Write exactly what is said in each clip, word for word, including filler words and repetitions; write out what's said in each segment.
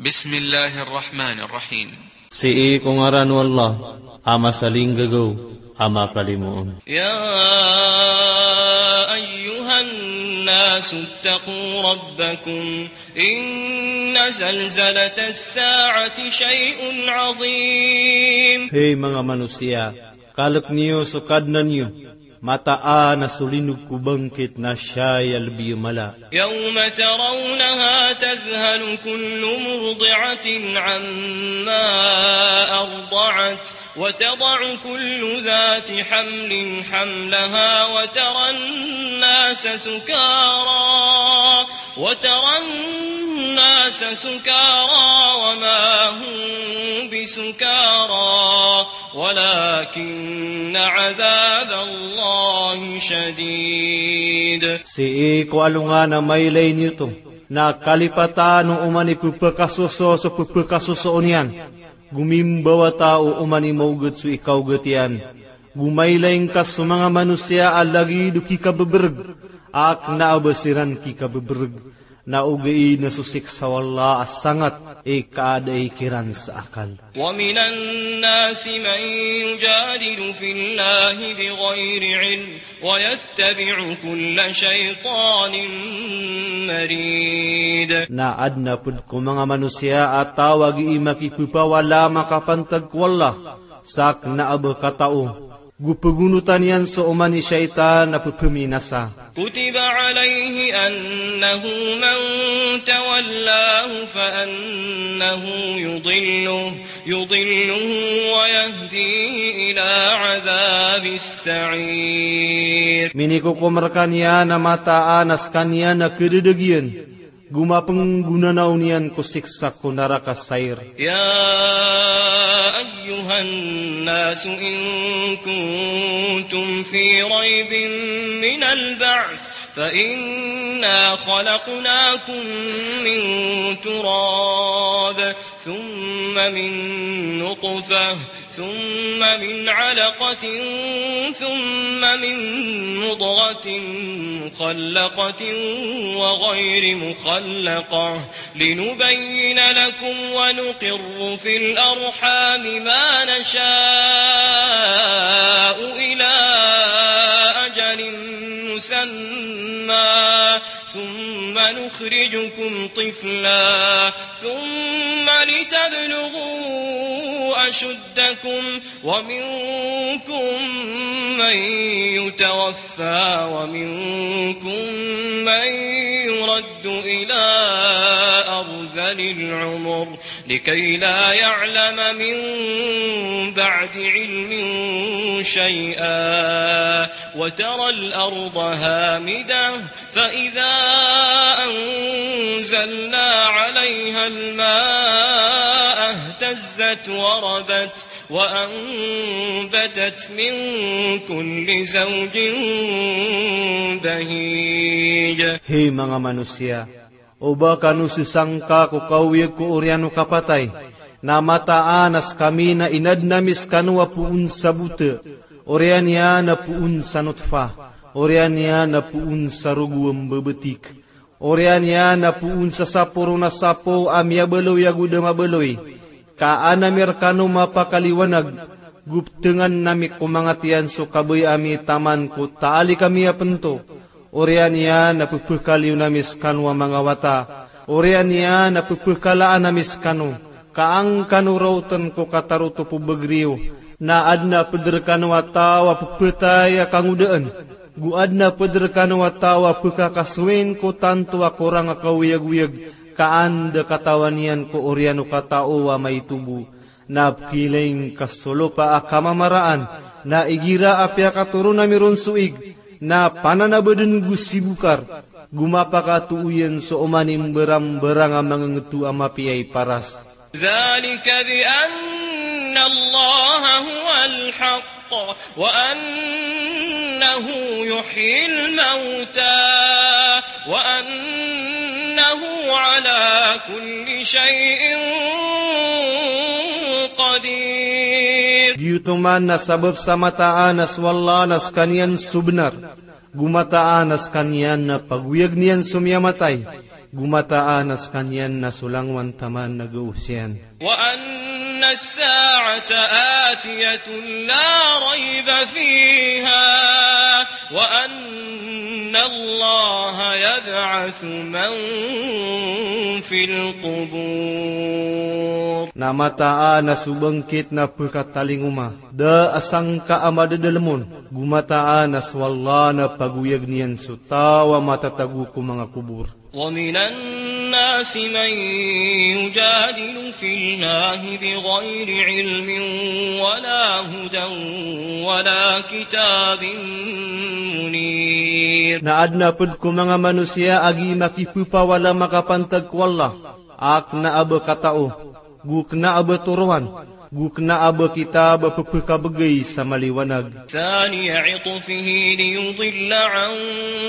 Bismillahir Rahmanir Rahim. Sii ko ngaran o Allah, a masalinggagaw, a makalimoon. يا أيها الناس اتقوا ربكم إن زلزلة الساعة شيء عظيم. Hay manga manosiya, kalk niyo so Kadnan iyo, mataan a so linog ko bangkit na siyay a lbi a mala. يوم ترونها تذهل كل مرضعة عما أرضعت وتضع كل ذات حمل حملها وترى الناس سكارى، وترى الناس سكارى وما هم بسكارى ولكن عذاب الله شديد. Sii ko alongan a mailay niyo oto, na kalipatan o oman i pphakasoso so pphakasosoon iyan, go mimbawata o oman i maogat so ikaogat iyan, go mailay ngka so manga manosiya a lagid o kikabebereg, a kna a ba siran kikabebereg, na ogaid na so siksa o Allah a sangat i kaadai kiran sa akal. ومن الناس من يجادل في الله بغير علم ويتبع كل شيطان مريد. Na adn a pd ko manga manosiya a taw a gii makipphawala a makapantag ko Allah sa kna a ba katao, go pgonotan iyan so oman i shaytan a pphaminasa. كتب عليه أنه من تولاه فأنه يضله، يضله ويهديه إلى عذاب السعير. Minikokom rkaniyan a mataan a skaniyan a kdadagiyan, go mapnggonanaw niyan ko siksa ko naraka Sair. يا أيها الناس إن كنتم في ريب من البعث فإنا خلقناكم من تراب ثم من نطفة ثم من علقة ثم من مضغة مخلقة وغير مخلقة لنبين لكم ونقر في الأرحام ما نشاء إلى أجل مسمى ثم نخرجكم طفلا ثم لتبلغوا أشدكم ومنكم من يتوفى ومنكم من يرد إلى أرذل العمر لكي لا يعلم من بعد علم شيئا وترى الأرض هامدة فإذا أنزلنا عليها الماء اهتزت وربت وأنبتت من كل زوج بهيج. Hay manga manosiya, o ba kano sisangka ko kaoyag ko oriyan o kapatay, na mataan a skami na inadn ami skano a poon sa bota, oriyan iyan a poon sa notfa, oriyan iyan a poon sa rogo a mbabatik, oriyan iyan a poon sa sapo ron a sapo a miyabaloy ago da mabaloy, ka an ami rkano mapakaliwanag, go ptngan ami ko manga tiyan so kabaya ami taman ko taalik ami a pnto, oriyan iyan a pphakaliyon ami skano a manga wata, oriyan iyan a pphakalaan ami skano, ka an kano raotn ko katarotop o bagr iyo, na adn a pd rkano a taw a pphatay a kangodaan, go adn a pd rkano a taw a pkhakasowin ko tanto a korang a kaoyagoyag, ka an da katawan iyan ko oriyan o katao a maito bo. Na pkhailay ngka so lopa a kamamaraan, na igira a piyakatoron ami ron so ig, na pananabadn go sibokar, go mapakatooyan so oman i mbarambarang a mangngto a mapiya i paras. ذلك بأن الله هو الحق وأنه يحيي الموتى وأنه على كل شيء قدير. Giyoto man na sabap sa mataan a so Allah na skaniyan so bnar, go mataan a skaniyan na pagoyagn iyan so miyamatay, Go mataan a skaniyan na so langowan taman na gawos iyan. وأن الساعة آتية لا ريب فيها وأن الله يبعث من في القبور. Na mataan a so bangkit na pkatalingoma, da a sangka a madadalm on, go mataan a so Allah na pagoyagn iyan so taw a matatago ko manga kobor. ومن الناس من يجادل في الله بغير علم ولا هدى ولا كتاب منير. Na adn a pd ko manga manosiya a gii makipphawala makapantag ko Allah, a kna a ba katao, go kna a ba toroan, go kna a ba kitab a pphakabgay sa maliwanag. ثاني عطفه ليضل عن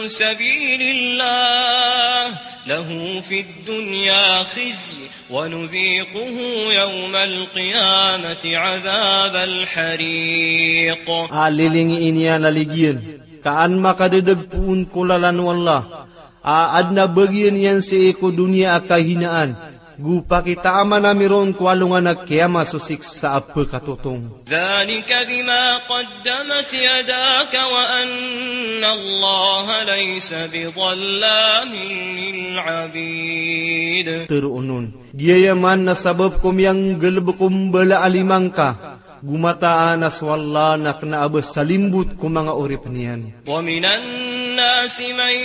سبيل الله له في الدنيا خزي ونذيقه يوم القيامة عذاب الحريق. A lilingii niyan a ligiyan, ka an makadadagpoon ko lalan o Allah, a adn a bagian iyan sii ko doniya a kahinaan, go pakitaaman ami ron ko alongan a kiyama so siksa a pkatotong. ذلك بما قدمت يداك وأن الله ليس بظلام للعبيد. Tharoon on, giyaya man na sabap ko miyanggalbk o mbala a lima ngka, go mataan a so Allah na kna a ba salimbot ko manga oripn iyan. ومن الناس من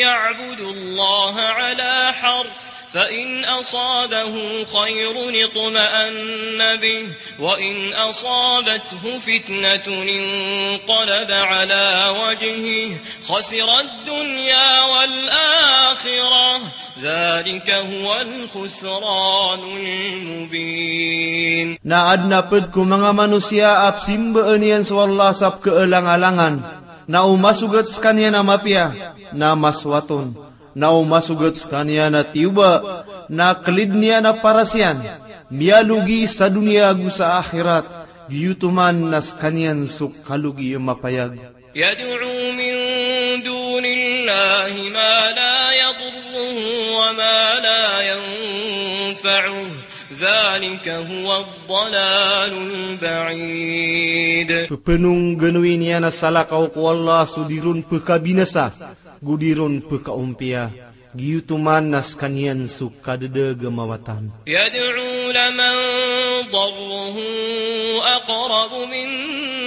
يعبد الله على حرف فإن أصابه خير اطمأن به وإن أصابته فتنة انقلب على وجهه خسر الدنيا والآخرة ذلك هو الخسران المبين. Na adn a pd ko manga manosiya a pzimbaan iyan so Allah sa pkaalangalangan, na o masogat skaniyan a mapiya, na masowat on, na o masogat skaniyan a tiyoba, na klidn iyan a paras iyan, miyalogi sa doniya go sa akhirat, giyoto man na skaniyan so kalogi a mapayag. يدعو من دون الله ما لا يضره وما لا ينفعه ذلك هو الضلال البعيد. Ppanongganowi niyan a salakaw ko Allah so di ron pkabinasa, go di ron pkaompiya. Giyoto man na skaniyan so kadadagama watan. يدعو لمن ضره أقرب من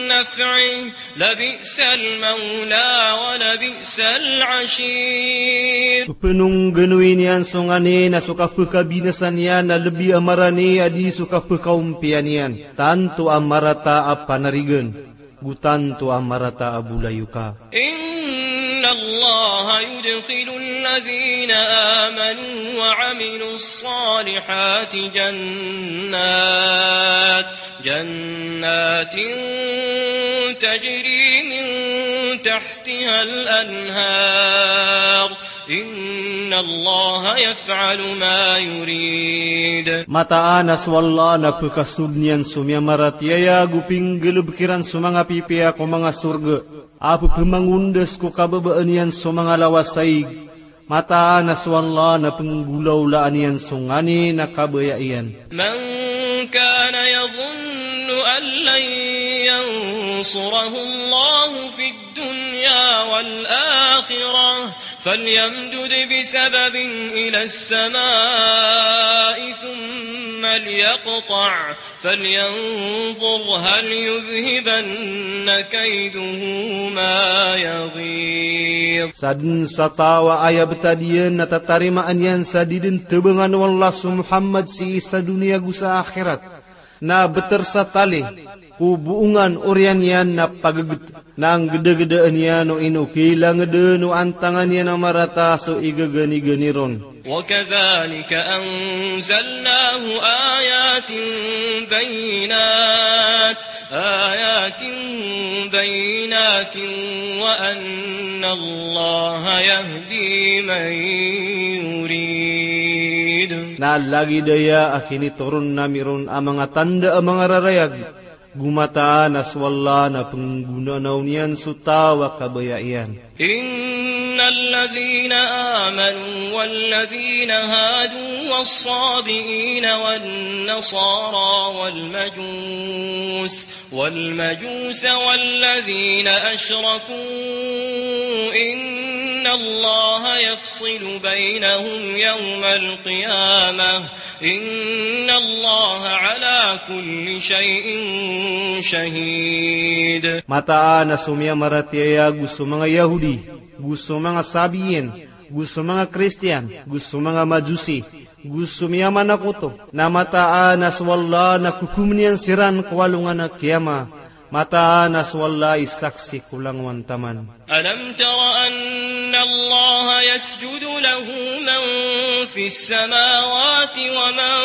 نفعه لبئس المولى ولبئس العشير. Ppanongganowi niyan so nganin a so kapkabinasa niyan na lbi a marani a di so kapkaompiya niyan. Tanto a marata a panarigan. Go tanto a marata a bolayoka. إن الله يدخل الذين آمنوا وعملوا الصالحات جنات، جنات تجري من تحتها الأنهار إن الله يفعل ما يريد. Mataan a so Allah na pkasold iyan so miyamaratiyaya go pinggalbk iran so manga pipiya ko manga sorga a pphamangondas ko kababaan iyan so manga lawasaig. Mataan a so Allah na pnggolawlaan iyan so nganin a kabaya iyan. من كان يظن أن لن ينصره الله في الدنيا والآخرة فليمدد بسبب إلى السماء ثم ليقطع فلينظر هل يذهبن كيده ما يغيظ. Sadn sa taw a aya btad iyan na tatarimaan iyan sa di dn tbangan o Allah so Muhammad sii sa doniya go sa akhirat. Na btr sa tali ko boongan oriyan iyan na paggt, na nggdagdaan iyan o ino kilangdn o antangan iyan a marata so igaganigani ron. وكذلك أنزلناه آيات بينات، آيات بينات وأن الله يهدي من يريد. Na lagid aya a kinitoron ami ron a manga tanda a manga rarayag, go mataan a so Allah na pnggonanaw niyan so taw a kabaya iyan. إن الذين آمنوا والذين هادوا والصابئين والنصارى والمجوس، والمجوس والذين أشركوا إن الله يفصل بينهم يوم القيامة إن الله على كل شيء شهيد. Mataan a so miyamaratiyaya go so manga Yahudi, go so manga Sabiyin, go so manga Kristiyan, go so manga Majusi, go so miyamanakoto, na mataan a so Allah na kokomn iyan siran ko alongan a kiyama. Mataan a so Allah i saksi ko langowan taman. ألم تر أن الله يسجد له من في السماوات ومن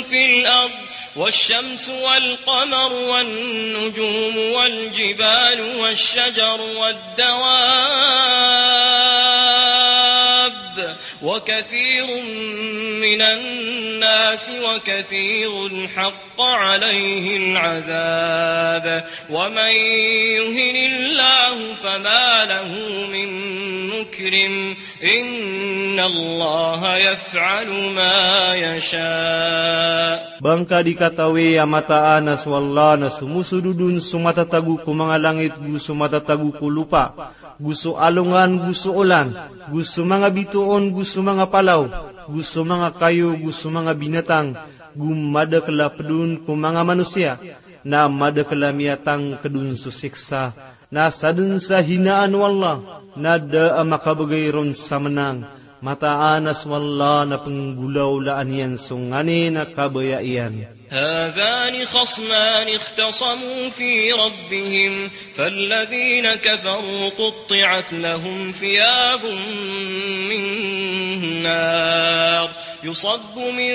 في الأرض والشمس والقمر والنجوم والجبال والشجر والدواب وكثير من الناس وكثير حق عليه العذاب ومن يهن الله فما له من مكرم إن الله يفعل ما يشاء. Ba ngka di katawi a mataan a so Allah na somosodod on so matatago ko manga langit go so matatago ko lopa, go so alongan go so olan, go so manga bitoon go so manga palaw, go so manga kayo go so manga binatang, go madakl a pd on ko manga manosiya, na madakl a miyatangkd on so siksa, na sadn sa hinaan o Allah, na da a makabgay ron sa mnang. Mataan a so Allah na pnggolawlaan iyan so nganin a kabaya iyan. هذان خصمان اختصموا في ربهم فالذين كفروا قطعت لهم ثياب من نار يصب من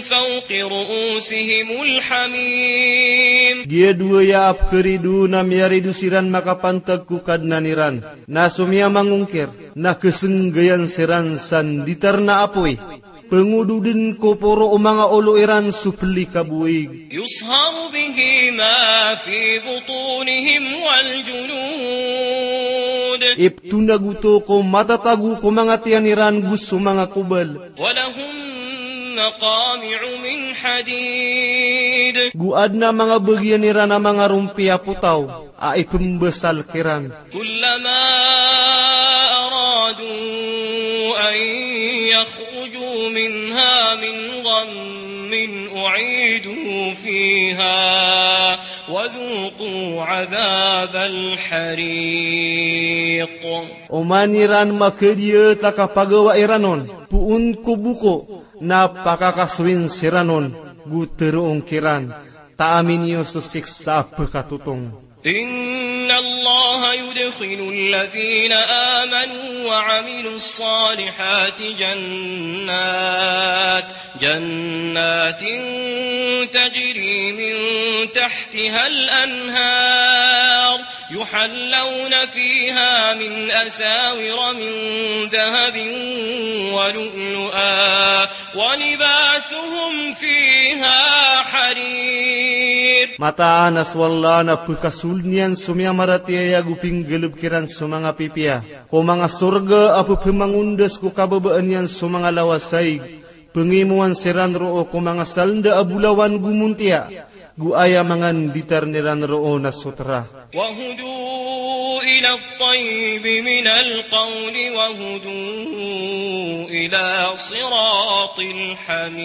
فوق رؤوسهم الحميم. Giya dowa aya a pkharido na miyarido siran makapantag ko Kadnan iran, na so miyamangongkir na khasnggayan siran sa nditar na apoy, pngododn ko poro o manga olo iran so plikabowig. يصهر به ما في بطونهم والجلود. Iptonag oto ko matatago ko manga tiyan iran go so manga kobal. ولهم مقامع من حديد. Go adn a manga bagian iran a manga rompi a potaw a ipmbasal kiran. كلما أرادوا أن يخرجوا منها من غم أعيدوا فيها وذوقوا عذاب الحريق. Oman iran makadiyat a kapagawa iran on, poon ko boko, na pakakasoyin siran on, go tharoon kiran, taamin iyo so siksa a pkatotong. إن الله يدخل الذين آمنوا وعملوا الصالحات جنات، جنات تجري من تحتها الأنهار، يحلون فيها من أساور من ذهب ولؤلؤا، ولباسهم فيها حرير. Mataan a so Allah na pkasold iyan so miyamaratiyaya go pinggalbk iran so manga pipiya ko manga sorga a pphamangondas ko kababaan iyan so manga lawasaig. Pngimowan siran roo ko manga salnda a bolawan go montiya, go aya manga nditar iran roo na sotra. وهدوا إلى الطيب من القول وهدوا إلى صراط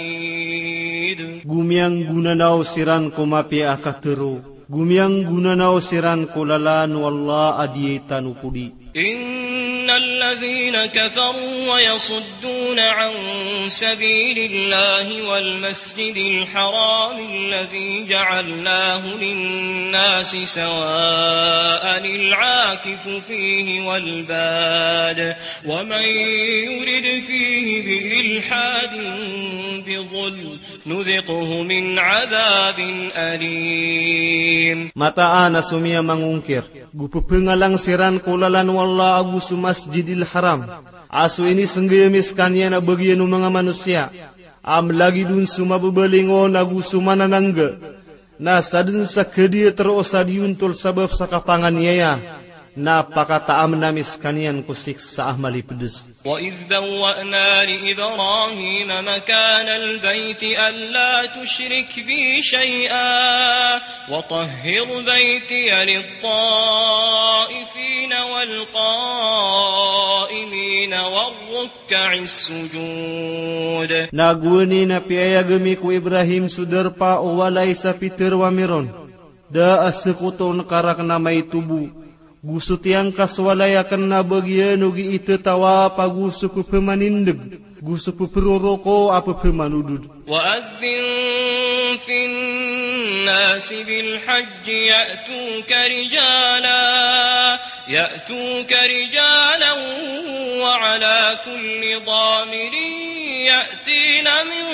الحميد. Go miyanggonanaw siran ko mapiya a katharo, go miyanggonanaw siran ko lalan o Allah a diyai tano podi. إن الذين كفروا ويصدون عن سبيل الله والمسجد الحرام الذي جعلناه للناس سواء العاكف فيه والباد ومن يرد فيه بإلحاد بظلم نذقه من عذاب أليم. Mataan a so miyamangongkir, go pphangalang siran ko lalan o Allah ago so Masjidil Haram a so inisnggay ami skaniyan a bagian o manga manosiya, a mlagid on so mababalingon ago so mananangga, na sadn sa kadiyat roo sa diyontol sabap sa kapanganiyaya, Na pakataamn ami skaniyan ko siksa a malipds. وإذ بوأنا لإبراهيم مكان البيت ألا تشرك بي شيئا وطهر بيتي للطائفين والقائمين والركع السجود. Na gowani na piyayag ami ko Ibrahim so darpa o walay sa pitharo ami ron, da a sktona ka rakn a maito bo, go so tiyangka so walay akn na bagiyan o gii tatawa pa go so pphamanindg, go so ppharoroko a pphamanodod. وأذن في الناس بالحج يأتوك رجالا، يأتوك رجالا وعلى كل ضامر يأتين من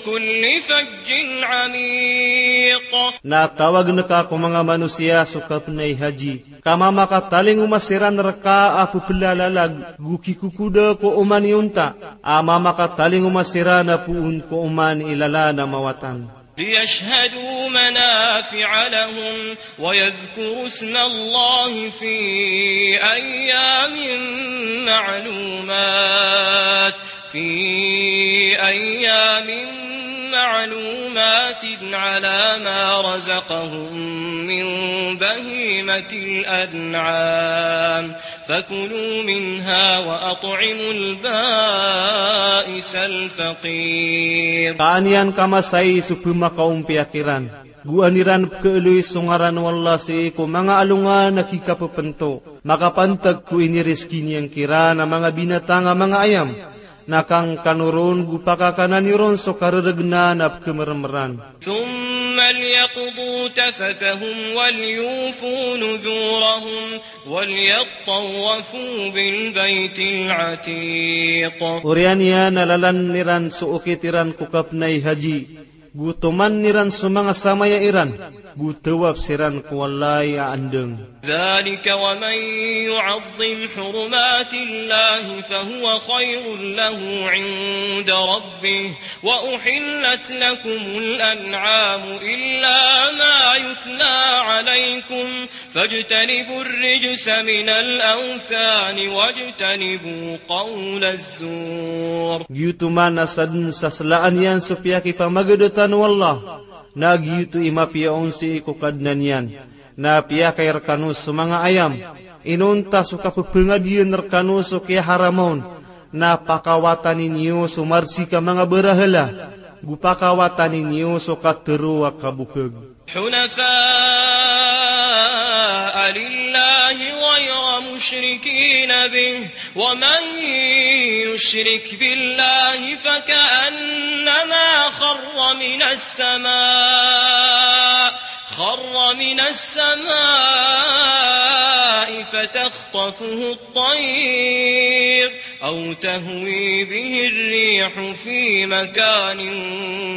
كل فج عميق. Na tawagn ka ko manga manosiya so kapnay haji, ka mamakatalingoma siran rka a pplalalag, go kikokoda ko oman i onta, a mamakatalingoma siran a poon ko oman i lalan a mawatan. ليشهدوا منافع لهم ويذكروا اسم الله في أيام معلومات، في أيام معلومات على ما رزقهم من بهيمة الأنعام فكلوا منها وأطعموا البائس الفقير. Ka an iyan kamasai so pmakaompiya kiran, go an iran pkhaaloy so ngaran o Allah sii ko manga alongan a kikapphanto, makapantag ko iniriski niyan kiran a manga binatang a manga ayam, na kangkano ron go pakakana niyo ron so karergnan a pkhamermeran. ثم ليقضوا تفثهم وليوفوا نذورهم وليطوفوا بالبيت العتيق. Oriyan iyan a lalan iran so okit iran ko kapnay haji, go toman iran so manga samaya iran, go tawaf siran ko walay a andang. ذلك ومن يعظم حرمات الله فهو خير له عند ربه وأحلت لكم الأنعام إلا ما يتلى عليكم فاجتنبوا الرجس من الأوثان واجتنبوا قول الزور. Giyoto man a sadn sa slaan iyan so piyakipamagadatan o Allah, na giyoto i mapiya on sii ko Kadnan iyan. Na piyakay rkano so manga ayam, inonta so kapphangadiyaan rkano so kiyaharam on, na pakawatani niyo so marsik a manga barahala, go pakawatani niyo so katharo a kabokag. حنفاء لله غير مشركين به ومن يشرك بالله فكأنما خر من السماء، خر من السماء فتخطفه الطير أو تهوي به الريح في مكان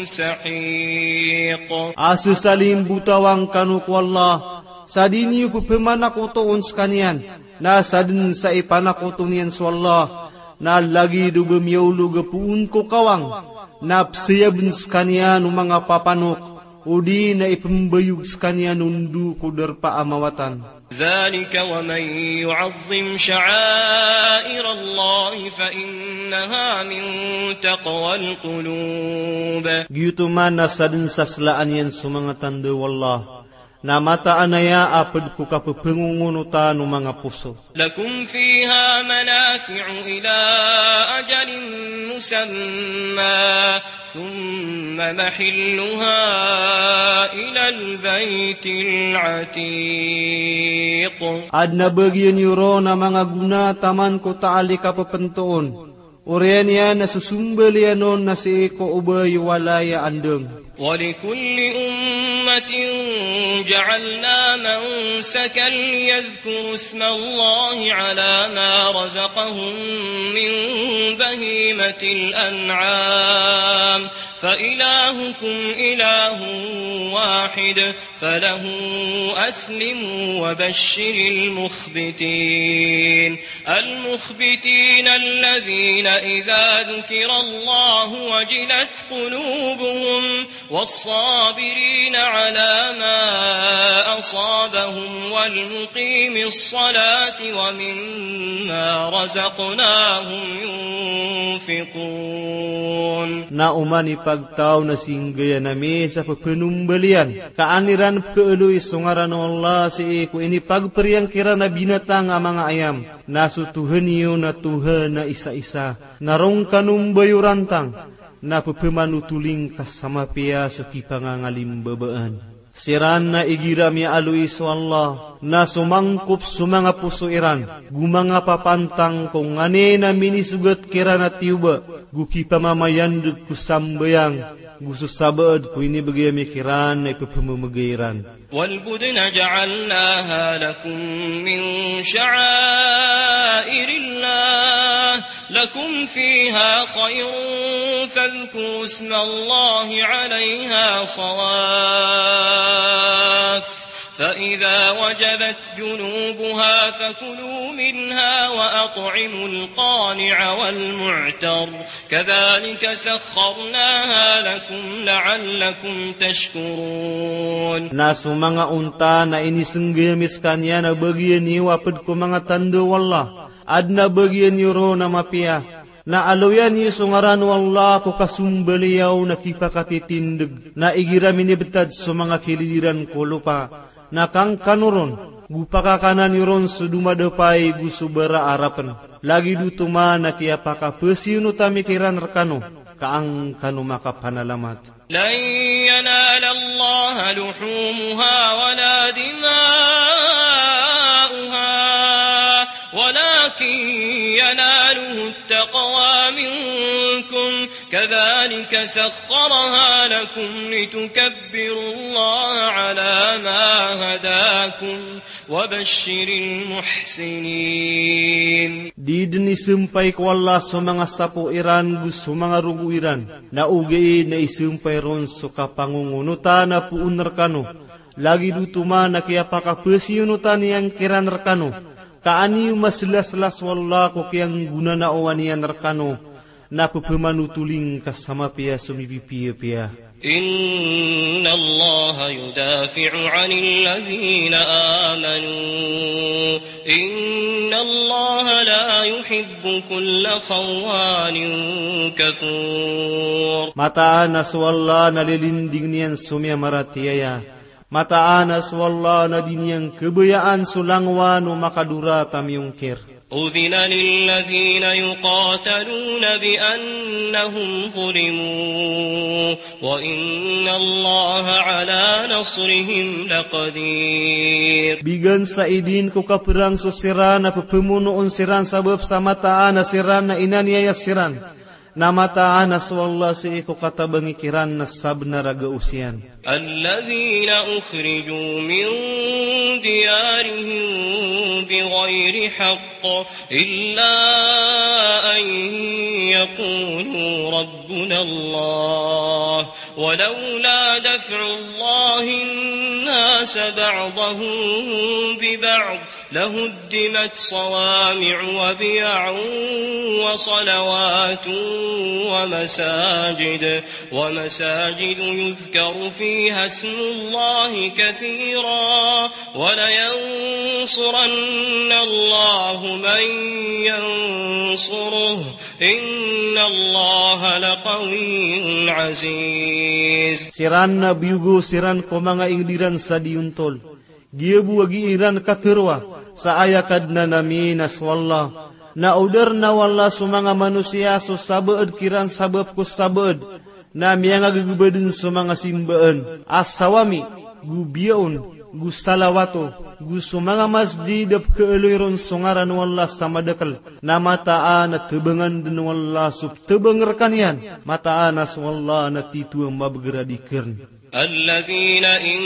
سحيق. A sesalimbotawang kano ko Allah, sa di niyo pphemanakotoon skaniyan, na sadn sa ipanakoto niyan so Allah, na lagid o ba miyaolog a poon ko kawang, na psayabn skaniyan o manga papanok, odi na ipmbayog skaniyan o ndo ko darpa a mawatan. ذلك ومن يعظم شعائر الله فإنها من تقوى القلوب. Giyoto man a sadn sa slaan iyan so manga tanda o Allah, na mataan aya a pd ko kapphangongoonotan o manga poso. لكم فيها منافع إلى أجل مسمى ثم محلها إلى البيت العتيق. Adn a bagiyan iyo ron a manga gona taman ko taal i kapphantoon, oriyan iyan a so sombal iyan on na sii ko obay o walay a andang. ولكل أمة جعلنا منسكا ليذكروا اسم الله على ما رزقهم من بهيمة الأنعام فإلهكم إله واحد فله أسلموا وبشر المخبتين. المخبتين الذين إذا ذكر الله وجلت قلوبهم والصابرين على ما أصابهم والمقيم الصلاة ومما رزقناهم ينفقون. Na oman i pagtaw na singgaya na misa pphanombaliyan ka an iran pkhaaloy so ngaran o Allah sii ko inipagpariyan kiran a binatang a manga ayam. Na so Tohan iyo na Tohan a isa-isa. Na roo ngka no mbayorantang, na pphmanotoling ka sa mapiya so kipangangalimbabaan. Siran na igira miyaaloy so Allah, na somangkop so manga poso iran, go manga papantang ko nganin a minisogat kiran a tiyoba, go kipamamayandg ko sambayang, go so sabaad ko inibgay ami kiran na ipphmamgay iran. والبدن جعلناها لكم من شعائر الله لكم فيها خير فاذكروا اسم الله عليها صواف فإذا وجبت جنوبها فكلوا منها وأطعموا القانع والمعتر كذلك سخرناها لكم لعلكم تشكرون. Na so manga onta na inisnggay ami skaniyan a bagian iyo a pd ko manga tanda o Allah, adn a bagian iyo ron a mapiya. Na aloyan iyo so ngaran o Allah ko kasombaliyaw na kipakatitindg, na igira minibtad so manga kilid iran ko lopa, na kangkano ron, go pakakanan iyo ron so domadapay go so bara a rapn. Lagid oto man a kiyapakapasiyonotan ami kiran rkano, ka an kano makapanalamat. لن ينال الله لحومها ولا دماؤها ولكن يناله التقوى منكم كذلك سخرها لكم لتكبروا الله على ما هداكم وبشر المحسنين. Di dn isampay ko Allah so manga sapo iran go so manga rogo iran, na ogaid na isampay ron so kapangongonotan a poon rkano. Lagid oto man a kiyapakapasiyonotan iyan kiran rkano, ka an iyo maslaslas o Allah ko kiyanggonanaowan iyan rkano, na pphmanotoling ka sa mapiya so mipipiyapiya. إن الله يدافع عن الذين آمنوا إن الله لا يحب كل خوان كفور. Mataan a so Allah na lilinding iyan so miyamaratiyaya. Mataan a so Allah na di niyan khabayaan so langowan o makadorata miyongkir. أذن للذين يقاتلون بأنهم ظلموا وإن الله على نصرهم لقدير. Bigan sa idin ko kaprang so siran a pphamonoon siran sabap sa mataan a siran na inaniyaya siran. Na mataan a so Allah sii ko katabangi kiran na sabnar a gaos iyan. الذين أخرجوا من ديارهم بغير حق إلا أن يقولوا ربنا الله ولولا دفع الله الناس بعضهم ببعض لهدمت صوامع وبيع وصلوات ومساجد، ومساجد يذكر فيها اسم الله كثيرا، ولينصرن الله من ينصره، إن الله لقوي عزيز. Siran na biyogo siran ko manga ingd iran sa diyontol. Giya bo a gii ran katharo sa aya Kadnan ami na so Allah. Na odarna o Allah so manga manosiya so sabaad kiran sabap ko sabaad. Na miyangagagba dn so manga simbaan a sawami, go biyaon, go salawato, go so manga masjid a pkhaaloy ron so ngaran o Allah sa madakl. Na mataan a tabangan dn o Allah so ptabang rkaniyan. Mataan a so Allah na tito a mabagr a di kharn. الذين إن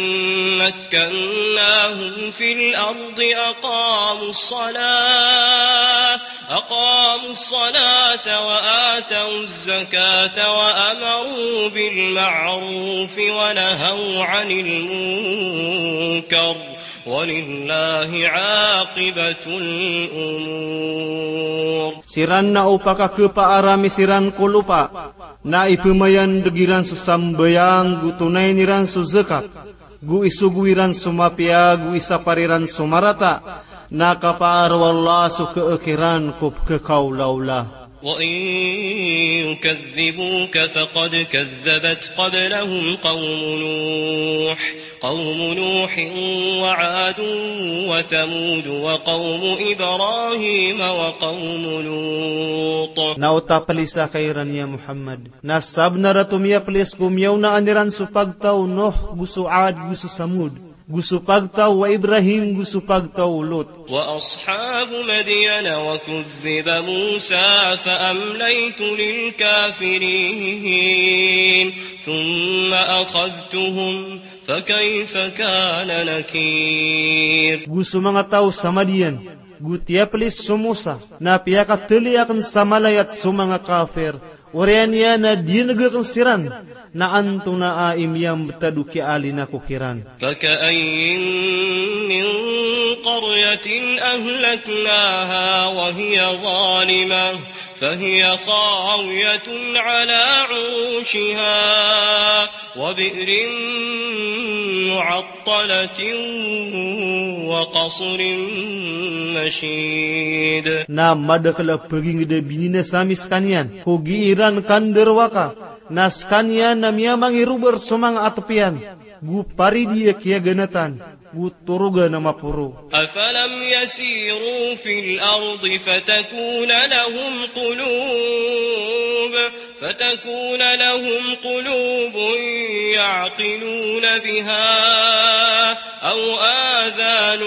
مكناهم في الأرض أقاموا الصلاة، أقاموا الصلاة وآتوا الزكاة وأمروا بالمعروف ونهوا عن المنكر، ولله عاقبة الأمور. Siran na o pakakhapaarami siran ko lopa Na ipmayandg iran so sambayang, go tonayn iran so zakat, go isogo iran so mapiya, go isapar iran so marata, na kapaar o Allah so khakiran ko pkhakaolaola. وإن يكذبوك فقد كذبت قبلهم قوم نوح، قوم نوح وعاد وثمود وقوم إبراهيم وقوم لوط. Na o taplisa ka iran ya Muhammad, na sabnar a tomiyaplis ko miyaonaan iran so pagtaw o Nuh, go so Ad, go so Samud, go so pagtaw o Ibrahim, go so pagtaw o Lut. وأصحاب مدين وكذب موسى فأمليت للكافرين ثم أخذتهم فكيف كان نكير. Go so manga taw sa Madian, go tiyaplis so Musa, na piyakatali akn sa malayat so manga kafir, oriyan iyan a diyangg akn siran, na antonaa i miyambtad o kiyaalinan ko kiran. فكأين من قرية أهلكناها وهي ظالمة فهي خاوية على عروشها وبئر معطلة وقصر مشيد. Na madakl a pagingd a bininasa ami skaniyan ko gii ran kandarowaka, na skaniyan na miyamangirobar so manga atp iyan, go paridi a kiyaganatan, go torogan a maporo. أفلم يسيروا في الأرض فتكون لهم قلوب، فتكون لهم قلوب يعقلون بها أو آذان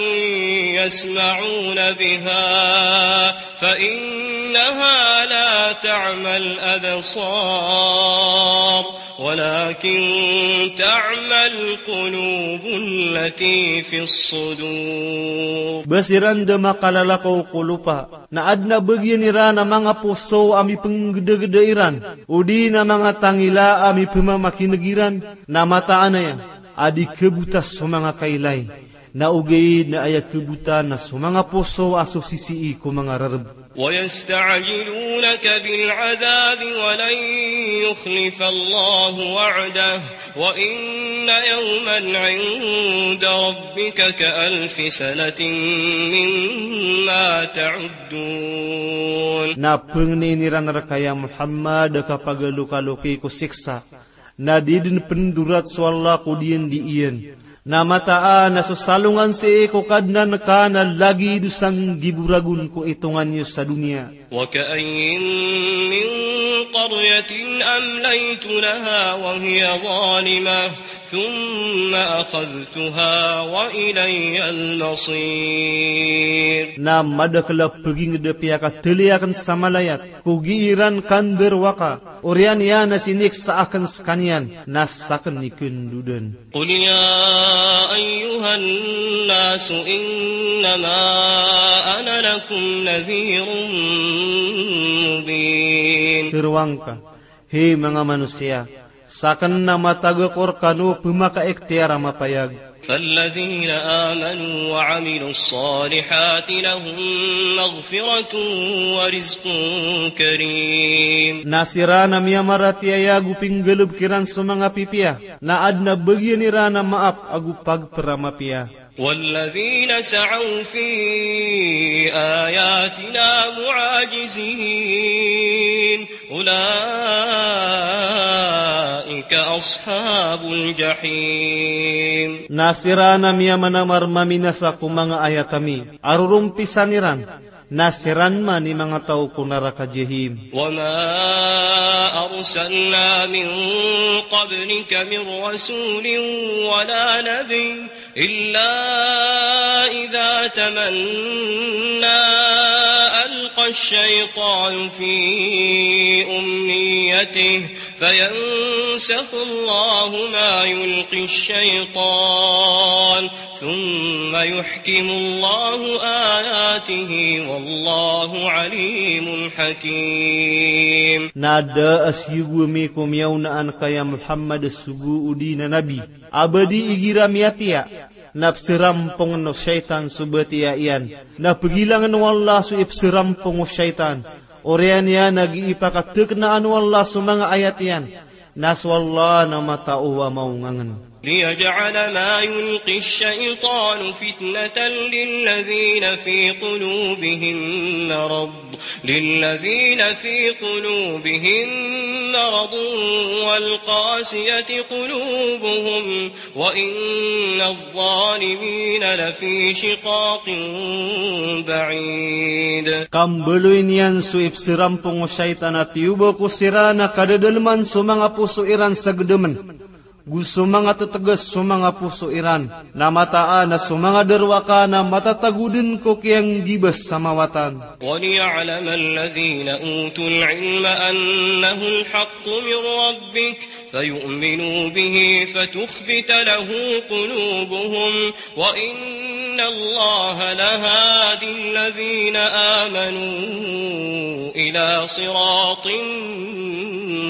يسمعون بها فإنها لا تعمى الأبصار ولكن تعمى القلوب التي في الصدور. Ba siran da makalalakaw ko lopa, na adn a bagian iran a manga poso a mipnggdagda iran, odi na manga tangila a mipmamakin'g iran, na mataan aya a di khabota so manga kailay, na ogaid na aya khabota na so manga poso a so sisii ko manga rarb. ويستعجلونك بالعذاب ولن يخلف الله وعده وإن يوما عند ربك كألف سنة مما تعدون. Na pngnin iran rka ya Muhammad a kapagalokaloki ko siksa, na di dn pndorat so Allah ko diyandi iyan. Na mataan a so salongan sii ko Kadnan ka na lagid o sanggibo ragon ko itongan iyo sa doniya. وكأين من قرية أمليت لها وهي ظالمة ثم أخذتها وإلي المصير. Na madakl a pagingd a piyakatali akn sa malayat ko gii ran kandarowaka, oriyan iyan a siniksa akn skaniyan, na sakn i khandodan. قل يا أيها الناس إنما أنا لكم نذير مبين. Tharoang ka, hay manga manosiya, sakn na matag ako rkano a pmakaikhtiyar a mapayag. فالذين آمنوا وعملوا الصالحات لهم مغفرة ورزق كريم. Na siran a miyamaratiyaya ago pinggalbk iran so manga pipiya, na adn a bagian iran a maap ago pagpr a mapiya. والذين سعوا في آياتنا معاجزين أولئك أصحاب الجحيم. Na siran a miyamanamar maminasa ko manga ayat ami a rorompisan iran, na siran man i manga taw ko naraka Jahim. وما أرسلنا من قبلك من رسول ولا نبي إلا إذا تمنى ألقى الشيطان في أمنيته فينسخ الله ما يلقي الشيطان ثم يحكم الله آياته والله عليم حكيم. Na da a siyogo ami ko miyaonaan ka ya Muhammad a sogo odi na nabi a ba di igira miyatiya, na psarampongn o shaytan so batiya iyan, na pgilangn o Allah so ipsarampong o shaytan, Oriyan iyan a gii pakateknaan o Allah so manga ayat iyan, na so Allah na matao a maongangen. ليجعل ما يلقي الشيطان فتنة للذين في قلوبهم مرض، للذين في قلوبهم مرض والقاسية قلوبهم وإن الظالمين لفي شقاق بعيد. Ka mbaloy niyan so ipserampong o shaytan a tiyoba ko siran a kadadaleman so manga poso iran sa gedemen, go so manga teteges so manga poso iran, na mataan a so manga derwaka na matatago den ko kiyanggiba sa mawatan. وليعلم الذين أوتوا العلم أنه الحق من ربك فيؤمنوا به فتخبت له قلوبهم وإن الله لهادي الذين آمنوا إلى صراط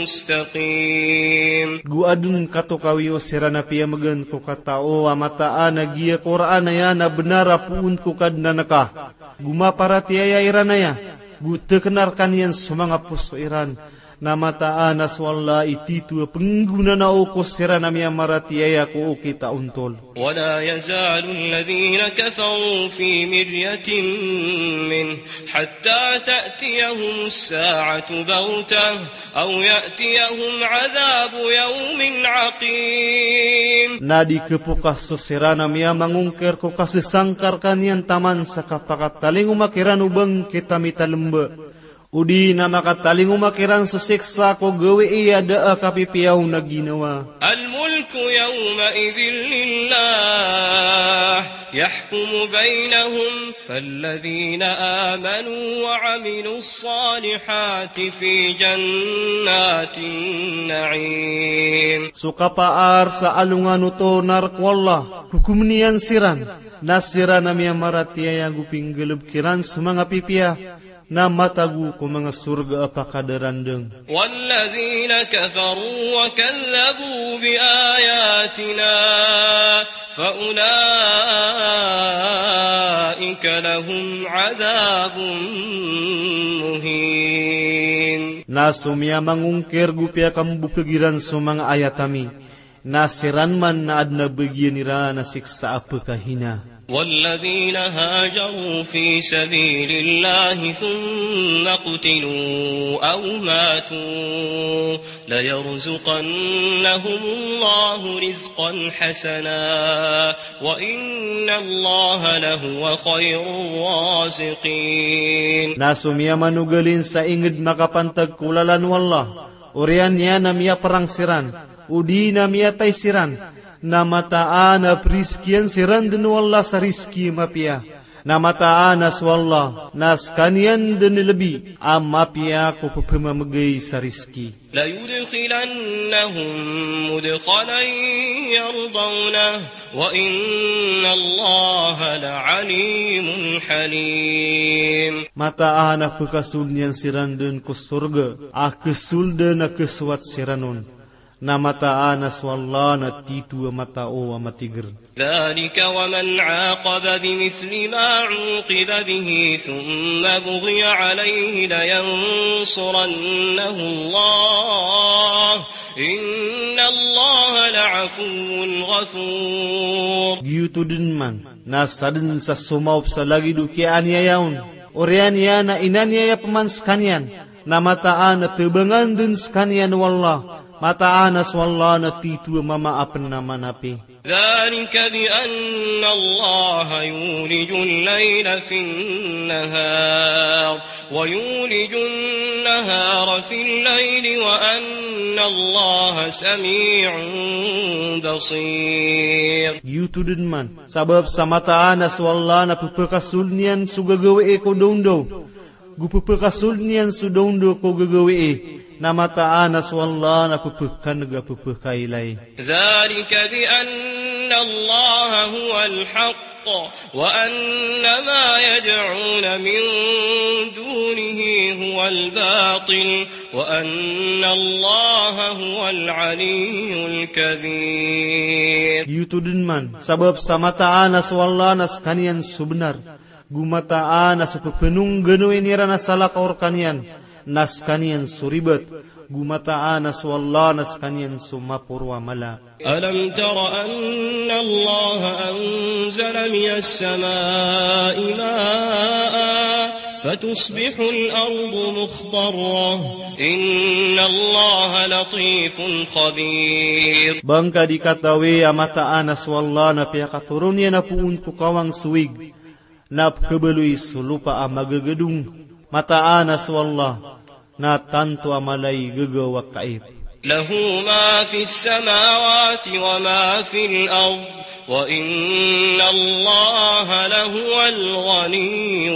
مستقيم. Go aden katokawi o siran a piyamegen ko katao a mataan a giya Qur'an aya na benar a poon ko Kadnan ka, go maparatiyaya iran aya, go tekena rekaniyan so manga poso iran, na mataan a so Allah i tito a penggonanao ko siran a miyamaratiyaya ko okit a ontol. ولا يزال الذين كفروا في مرية منه حتى تأتيهم الساعة بغتة أو يأتيهم عذاب يوم عقيم. Na di kepokas so siran a miyamangongker ko kasesangka rekaniyan taman sa kapakatalingoma kiran o bangkit a mitalemba, odi na makatalingoma kiran so siksa ko gawii a da a kapipiya on a ginawa. الملك يومئذ لله يحكم بينهم فالذين آمنوا وعملوا الصالحات في جنات النعيم. So kapaar sa alongan oto na rek o Allah, hokomen iyan siran, na siran a miyamaratiyaya go pinggalebek iran so manga pipiya, na matago ko manga sorga a pakadarandeng. والذين كفروا وكذبوا بآياتنا فأولئك لهم عذاب مهين. Na so miyamangongker go piyakambokeg iran so manga ayat ami, na siran man na aden a bagian iran a siksa a pekahina. والذين هاجروا في سبيل الله ثم قتلوا أو ماتوا ليرزقنهم الله رزقا حسنا وإن الله لهو خير الرازقين. Na so miyamanogalin sa inged makapantag ko lalan o Allah, oriyan iyan a miyaperang siran, odi na miyatay siran, na mataan a perizkian siran den o Allah sa rizki a mapiya. Na mataan a so Allah na sekaniyan den i lebi a mapiya ko pepemamegay sa rizki. ليدخلنهم مدخلا يرضونه وإن الله لعليم حليم. Mataan a pekasold iyan siran den ko sorga a kesolden a kesowat siran on. Na mataan a so Allah na tito a matao a matiger. ذلك ومن عاقب بمثل ما عوقب به ثم بغي عليه لينصرنه الله إن الله لعفو غفور. Giyoto den man na saden sa somaop sa lagid o kiyaaniyaya on, oriyan iyan a inaniyaya peman sekaniyan, na mataan a tebangan den sekaniyan o Allah, mataan a so Allah na tito a mama a penamanapi. ذلك بأن الله يولج الليل في النهار ويولج النهار في الليل وأن الله سميع بصير. Giyoto den man, sabap sa mataan a so Allah na pepekasold iyan so gagawii ko dawndaw, go pepekasold iyan so dawndaw ko gagawii, na mataan a so Allah na pepekaneg a pepekailay. ذلك بأن الله هو الحق وأن ما يدعون من دونه هو الباطل وأن الله هو العلي الكبير. Giyoto den man, sabap sa mataan a so Allah na sekaniyan so benar, go mataan a so pepenongganoin iran a salakaw rekaniyan, Na skaniyan so ribat, go mataan a so Allah na skaniyan so maporo a mala. ألم تر أن الله أنزل من السماء ماء فتصبح الأرض مخضرة إن الله لطيف خبير. Ba ngka di katawi a mataan a so Allah na piyakatoron iyan a poon ko kawang so ig, na pkhabaloy so lopa a magagadong. Mataan a so Allah na tanto a mala i gagaw a kaip. له ما في السماوات وما في الأرض وإن الله لهو الغني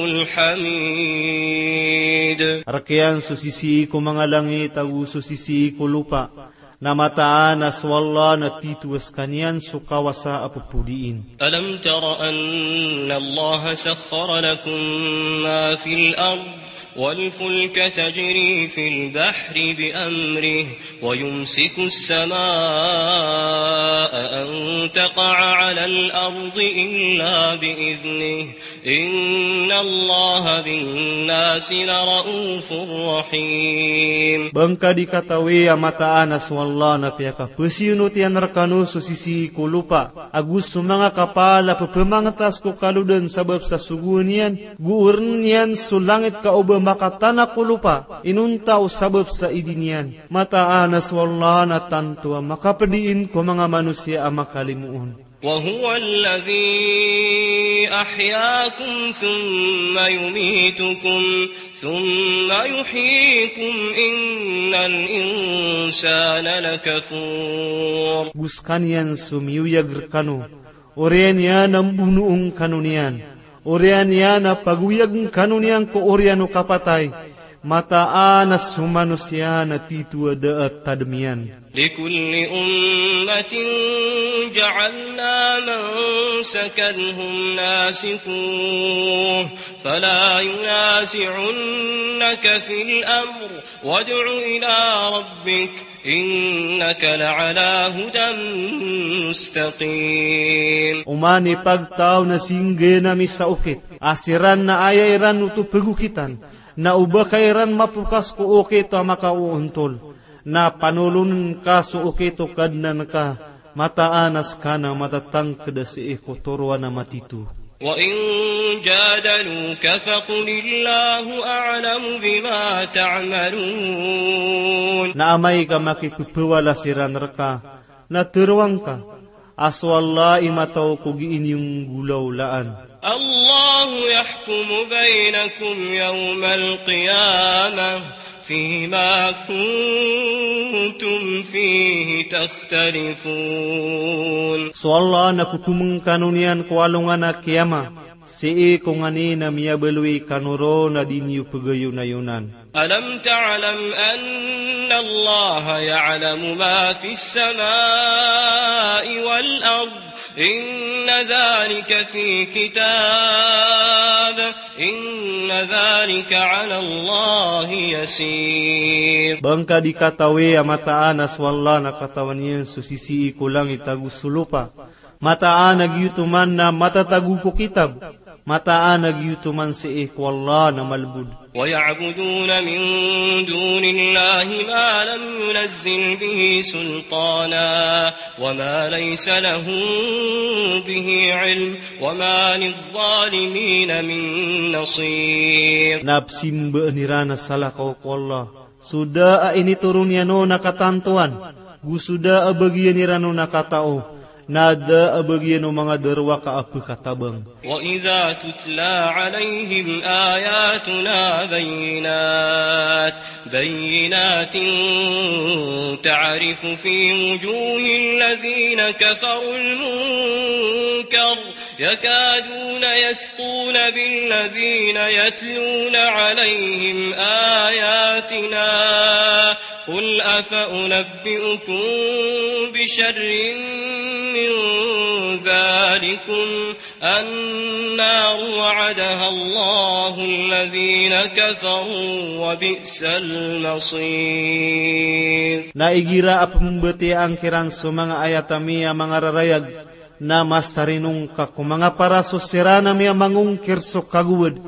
الحميد. Rk iyan so sisii ko manga langit ago so sisii ko lopa, na mataan a so Allah na tito a skaniyan so kawasa a ppodiin. ألم تر أن الله سخر لكم ما في الأرض والفلك تجري في البحر بأمره ويمسك السماء أن تقع على الأرض إلا بإذنه إن الله بالناس لرءوف رحيم. Ba ngka di katawi a mataan a so Allah na piyakapasiyonot iyan rkano so sisii ko lopa ago so manga kapal a pphamangtas ko kalodan sabap sa sogoan iyan, go orn iyan so langit ka o ba makatana ko lopa inonta o sabap sa idin iyan. Mataan a so Allah na tanto a makapdiin ko manga manosiya a makalimo on. وهو الذي أحياكم ثم يميتكم ثم يحييكم إن الإنسان لكفور. Go skaniyan so miyoyag rkano, oriyan iyan a mbonoon kano niyan, oriyan iyan a pagoyagn kano niyan ko oriyan o kapatay. Mataan a so manosiya na tito a da a tadm iyan. لكل أمة جعلنا منسكا هم ناسكوه فلا ينازعنك في الأمر وادع إلى ربك إنك لعلى هدى مستقيم. Oman i pagtaw na singgn ami sa okit a siran na aya iran oto pgokitan, na o ba ka iran mapokas ko okit a makaoontol, na panolon ka so okit o Kadnan ka, mataan a ska na matatangkd a sii ko toroan a matito. وإن جادلوك فقل الله أعلم بما تعملون. Na amay ka makippwala siran rka, na tharoang ka a so Allah i mataw ko gii niyo nggolawlaan. الله يحكم بينكم يوم القيامة فيما كنتم فيه تختلفون. So Allah na kokomn kano niyan ko alongan a kiyama, sii ko nganin a miyabaloy kano ron a di niyo pgayonayonan. ألم تعلم أن الله يعلم ما في السماء والأرض إن ذلك في كتاب إن ذلك على الله يسير. Ba ngka di katawi a mataan a so Allah na katawan iyan so sisii ko langit ago so lopa. Mataan a giyoto man na matatago ko kitab. Mataan a giyoto man sii ko Allah na malbod. ويعبدون من دون الله ما لم ينزل به سلطانا وما ليس لهم به علم وما للظالمين من نصير. Na psimbaan iran a salakaw ko Allah so da a initoron iyan on a katantoan, go so da a bagian iran on a katao, na da a bagian o manga darowaka a pkatabang. وإذا تتلى عليهم آياتنا بينات بينات تعرف في وجوه الذين كفروا المنكر يكادون يسطون بالذين يتلون عليهم آياتنا قل أفأنبئكم بشر من ذلكم النار وعدها الله الذين كفروا وبئس المصير. Na igira a pmbatiyaa ngka iran so manga ayat ami a manga rarayag, na masarinong ka ko manga paraso siran ami a mangongkir so kagowad,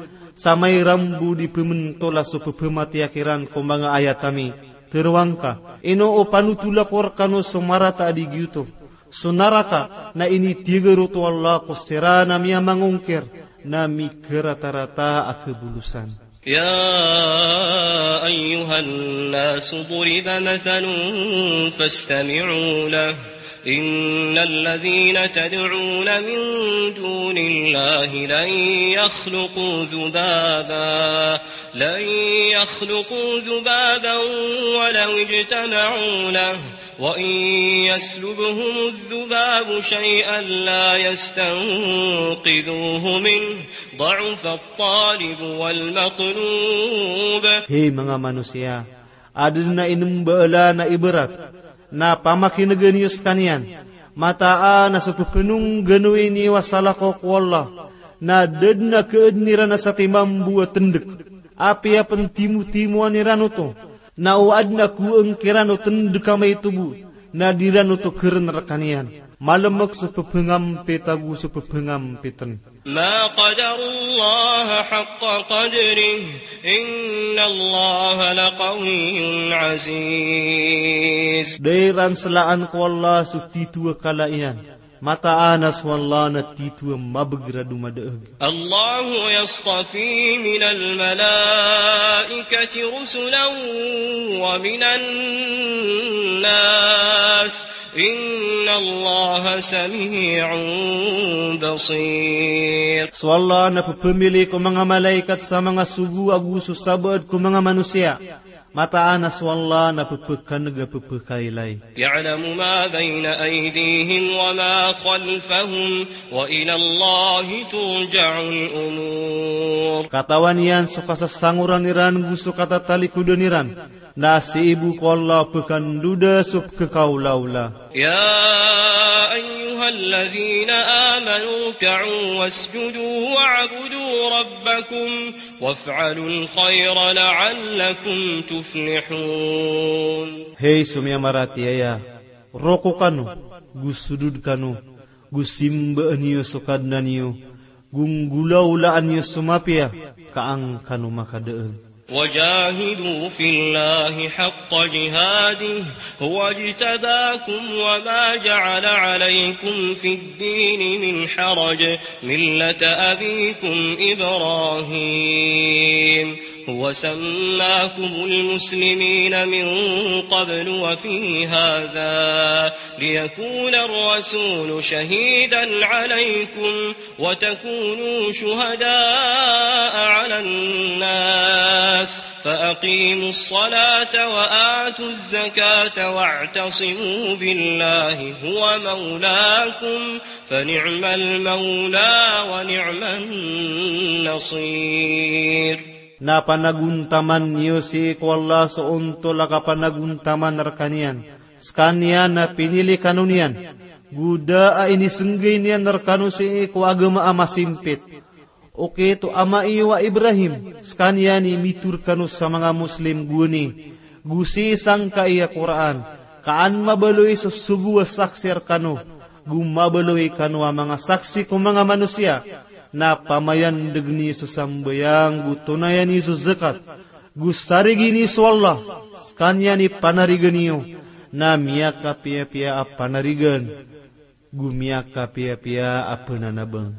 Sa mairambo di pementola so pepematiya kiran ko manga ayat ami, teroang ka, ino o panotol ako rekano so marata a di giyoto, so naraka, na initiger oto o Allah ko siran a miyamangongkir, na mikeratarata a kebolosan. يا أيها الناس ضرب مثل فاستمعوا له. إن الذين تدعون من دون الله لن يخلقوا ذبابا، لن يخلقوا ذبابا ولو اجتمعوا له، وإن يسلبهم الذباب شيئا لا يستنقذوه منه، ضعف الطالب والمطلوب. Hey manga manosiya, aden a inembaala na ibarat, na pamakinegen iyo sekaniyan, mataan a so pepenongganowi niyo a salakaw ko Allah, na da den a keaden iran a satimambo a tendek, apiya pentimotimoan iran oto, na o aden a koeng kiran o tendek a maito bo, na di ran oto keren rekaniyan. Malemek so pepengampit ago so pepengampiten. ما قدروا الله حق قدره، إن الله لقوي عزيز. Da iran selaan ko Allah so tito a kala iyan, mataan a so Allah na tito a mabeger a domadaeg. الله يصطفي من الملائكة رسلا ومن الناس، إن الله سميع بصير. So Allah na pepemili ko manga malaikat sa manga sogo ago so sabaad ko manga manosiya. Mataan a so Allah na pepekaneg a pepekailay. يعلم ما بين أيديهم وما خلفهم، وإلى الله ترجع الأمور. Katawan iyan so kasasangoran iran go so katatalikodan iran. Na sii bo ko Allah pekandoda so pekekaolaola. يا أيها الذين آمنوا اركعوا واسجدوا واعبدوا ربكم وافعلوا الخير لعلكم تفلحون. Hey so miyamaratiyaya, roko kano, go sodod kano, go simbaan iyo so Kadnan iyo, go nggolaolaan iyo so mapiya, ka an kano makadaeg. وجاهدوا في الله حق جهاده هو اجتباكم وما جعل عليكم في الدين من حرج ملة أبيكم إبراهيم هو سماكم المسلمين من قبل وفي هذا ليكون الرسول شهيدا عليكم وتكونوا شهداء على الناس فأقيموا الصلاة وآتوا الزكاة واعتصموا بالله هو مولاكم فنعم المولى ونعم النصير. Na panagontaman iyo sii ko Allah so ontol a kapanagontaman rekaniyan, sekaniyan na pinili kano niyan, go da a inisenggay niyan rekano sii ko agama a masimpit. Okit o ama iyo a Ibrahim, sekaniyan i mitharo rekano sa manga Muslim gowani, go sii sangkai a Qur'an, ka an mabaloy so sogo a saksi rekano, go mabaloy kano a manga saksi ko manga manosiya, na pamayandegen iyo so sambayang, go tonayan iyo so zakat, go sarigi niyo so Allah, sekaniyan i panarigan iyo, na miyakapiyapiya a panarigan, go miyakapiyapiya a penanabang.